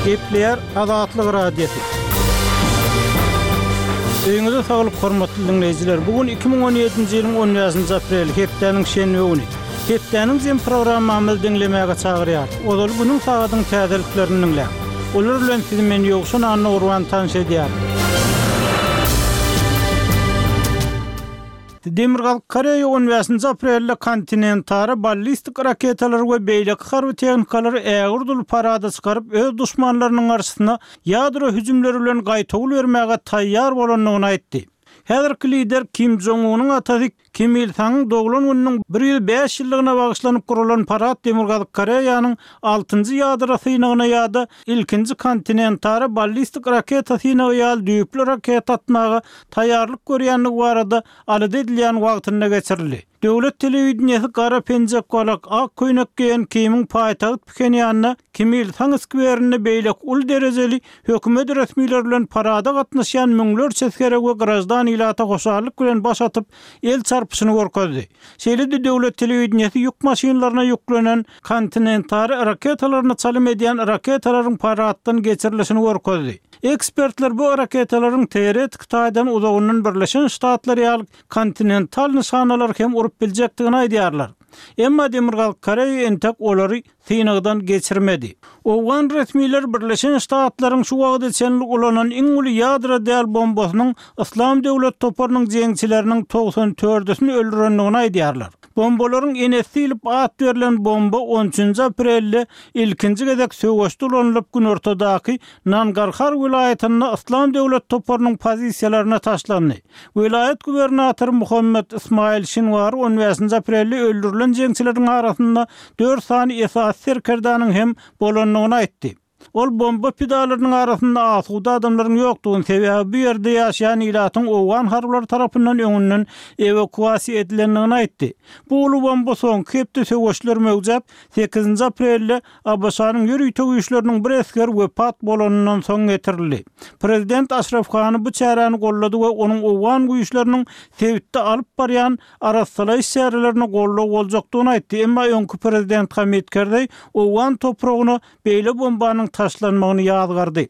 Gepleýär Azatlyk Radiosy. Öýüňize saglyk hormatly diňleýjiler. Bu gün 2017-nji ýylyň 15-nji apreli, hepdäniň şenbe güni. Hepdäniň jem programmamyzy diňlemäge çagyrýarys. Ozaly günüň sagadyň täzeliklerini diňläň. Olar bilen sizi men Ýowşan Annagurban tanyş edýärin. Demirgazyk Koreýa on bäşinji aprelde kontinentara ballistik raketalary we beýleki harby tehnikalary ägirt uly parada çykaryp, öz duşmanlarynyň garşysyna ýadro hüjümleri bilen gaýtawul bermäge taýýar bolandygyny aýtdy. Häzirki lider Kim Jong Unyň atasy Kim Il Sangyň doglan gününiň 105 ýyllygyna bagyşlanyp guralan parad Demirgazyk Koreýanyň altynjy ýadro synagyna ýa-da ilkinji kontinentara ballistik raketa synagy ýaly düýpli raketa atmaga taýýarlyk görýändigi barada alada edilýän wagtynda geçirildi. Döwlet telewideniýesi gara penjek-balak, ak köýnek geýen Kimiň paýtagt Phenýanda Kim Il Sang skwerinde beýleki uly derejeli hökümet resmileri bilen parada gatnaşýan müňlerçe esgere we graždan ilata hoşallyk bilen baş atyp, el çarpyşyny görkezdi. Şeýle-de döwlet telewideniýesi ýük maşynlaryna ýüklenen kontinentara raketalaryna çalym edýän raketalaryň paraddan geçirilişini görkezdi. Ekspertler bu raketalaryň teoretiki taýdan uzagyndan Birleşen Ştatlar ýaly kontinental nyşanalary hem urup biljekdigini aýdýarlar. Emma Demirgazyk Koreýa entek olary synagdan geçirmedi. Owgan resmileri Birleşen Ştatlaryň şu wagta çenli ulanan iň uly ýadro däl bombasynyň Yslam döwlet toparynyň jeňçileriniň 90 dördüsini öldürendigini aýdýarlar. Bombalaryň enesi diýlip at berlen bomba on üçünji aprelde ilkinji gezek söweşde ulanylyp günortadaky Nangarhar welaýatynda Yslam döwlet toparynyň pozisiýalaryna taşlandy. Welaýat gubernatory Muhammet Ysmaýyl Şinwary on bäşinji aprelde öldürilen jeňçileriň arasynda dört sany esasy serkerdäniň hem bolandygyny aýtdy. Ol bomba pidalarynyň arasynda asuda adamlaryň ýokdugyny, sebäbi bu ýerde ýaşaýan ilatyň owgan harbylary tarapyndan öňünden ewakuasiýa edilendigini aýtdy. Bu uly bomba soňky hepde söweşler möwjäp, sekizinji aprelde ABŞ-nyň ýörite güýçleriniň bir esgeri wepat bolanyndan soň getirildi. Prezident Aşraf Gani bu çäräni goldady we onuň owgan güýçleriniň sebitde alyp barýan arassalaýyş çärelerine goldaw boljakdygyny aýtdy, emma öňki prezident Hamid Kerzeý owgan topragyna beýle bombanyň taşlanmagyny ýazgardy.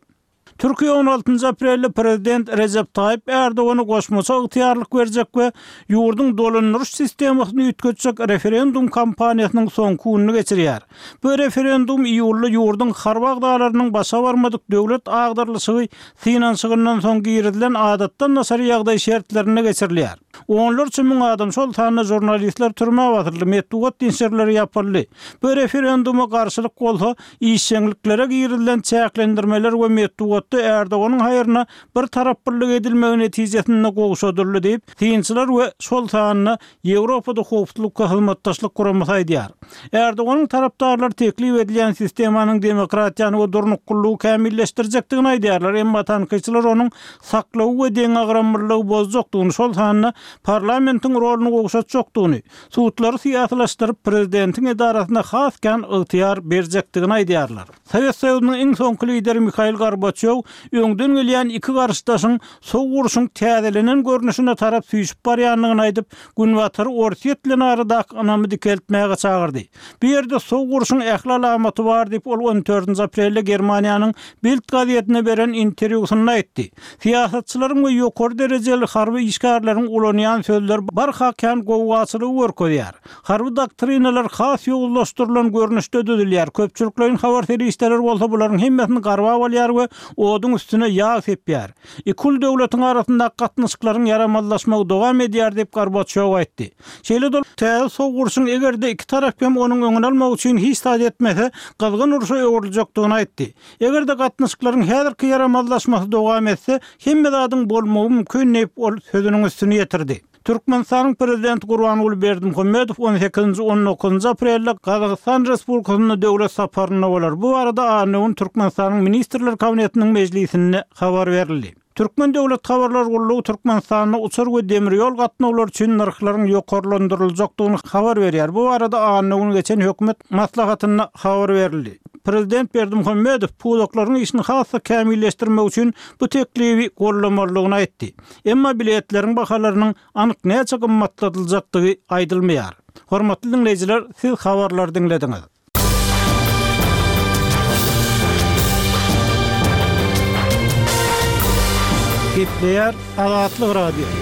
Türkiýe on altynjy aprelde prezident Rejep Taýyp Erdogana goşmaça ygtyýarlyk berjek we ýurduň dolandyryş sistemasyny üýtgetjek referendum kampaniýasynyň soňky gününi geçirýär. Bu referendum iýulda ýurduň harby agzalarynyň başa barmadyk döwlet agdarylyşygy synanyşygyndan soň girizilen adatdan daşary ýagdaý şertlerinde geçirilýär. Onlarça müň adam, şol sanda žurnalistler türmä basyldy, metbugat neşirleri ýapyldy. Bu referenduma garşylyk bolsa, işjeňliklere girizilen çäklendirmeler we metbugatda Erdoganyň haýryna bir taraplylyk edilmegi netijesinde gowşadyldy diýip, synçylar we şol sanda Ýewropada Howpsuzlyk we Hyzmatdaşlyk Guramasy aýdýar. Erdoganyň tarapdarlary teklip edilýän sistemanyň demokratiýany we durnuklylygy kämilleşdirjekdigini aýdýarlar, emma tankytçylar onuň saklawy we deňagramlylygy bozjakdygyny, şol sanda parlamentiň roluny gowşatjakdygyny, sudlary syýasylaşdyryp, prezidentiň edarasyna has kän ygtyýar berjekdigini aýdýarlar. Sowet Soýuzynyň iň soňky lideri Mihail Gorbaçýow öňden gelýän iki garşydaşyň Sowuk urşuň täzelenen görnüşine tarap süýşüp barýandygyny aýdyp, Günbatary Orsýet bilen aradaky ynamy dikeltmäge çagyrdy. Bu ýerde Sowuk urşuň ähli alamaty bar diýip, ol on dördünji aprelde Germaniýanyň Bild gazetine beren interwýusynda aýtdy. Syýasatçylaryň we ýokary derejeli harby işgärleriň ulanýan sözleri barha kän gowgaçylygy görkezýär. Harby doktrinalar has ýowuzlaşdyrylan görnüşde düzülýär, köpçülikleýin habar serişdeleri bolsa bularyň hemmesini garbap alýar we oduň üstüne ýag sepýär. Iki uly döwletiň arasyndaky gatnaşyklaryň ýaramazlaşmagy dowam edýär diýip, Gorbaçýow aýtdy. Şeýle-de ol täze sowuk urşuň eger-de iki tarap hem onuň öňüni almak üçin hiç zat etmese, gyzgyn urşa öwrüljekdigini aýtdy. Eger-de gatnaşyklaryň häzirki ýaramazlaşmasy dowam etse, hemme zadyň bolmagy mümkin diýip, ol sözüniň üstüni ýetirdi. Türkmenistanyň Prezidenti Gurbanguly Berdimuhamedow on sekizinji, on dokuzynjy aprelde Gazagystan Respublikasynda döwlet saparynda bolar. Bu barada anna güni Türkmenistanyň Ministrler Kabinetiniň mejlisinde habar berildi. Türkmen döwlet habarlar gullugy Türkmenistanda uçar we demir ýol gatnawlary üçin nyrhlaryň ýokarlandyryljakdygyny habar berýär. Bu barada anna güni geçen hökümet maslahatynda habar berildi. Prezident Berdimuhamedow pudaklaryň işini has-da kämilleşdirmek üçin bu teklibi goldamalydygyny aýtdy. Emma biletleriň bahalarynyň anyk näçe gymmatladyljakdygy aýdylmaýar. Hormatly diňleýjiler, siz habarlary diňlediňiz. Gepleýär Azatlyk Radiosy.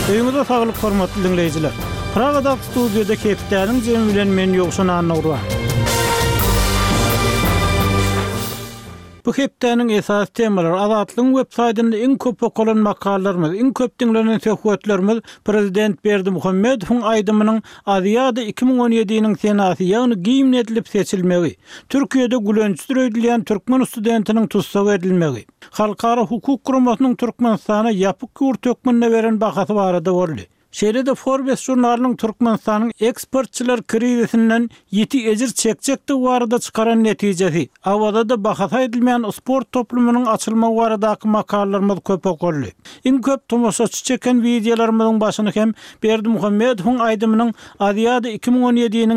Öýüňize saglyk hormatly diňleýjiler. Pragadaky studiýada hepdäniň jemi bilen men Ýowşan Annagurban. Bu hepdäniň esasy temalary, Azatlygyň web saýtynda iň köp okalan makalalarymyz, iň köp diňlenen söhbetlerimiz prezident Berdimuhamedowyň aýdymynyň Aziada 2017-niň senasy, ýagny gimn edilip seçilmegi, Türkiýede gülençdir öýdülýän türkmen studentiniň tussag edilmegi, Halkara hukuk guramasynyň Türkmenistana ýapyk ýurt hökmünde beren bahasy barada boldy. Şeýle-de Forbes žurnalynyň Türkmenistanyň eksportçylar krizisinden ýiti ejir çekjekdigi barada çykaran netijesi, Awazada bahasy aýdylmaýan sport toplumynyň açylmagy baradaky makalalarymyz köp okaldy. Iň köp tomaşaçy çeken wideolarymyzyň başyny hem Berdimuhamedowyň aýdymynyň Aziada 2017-niň.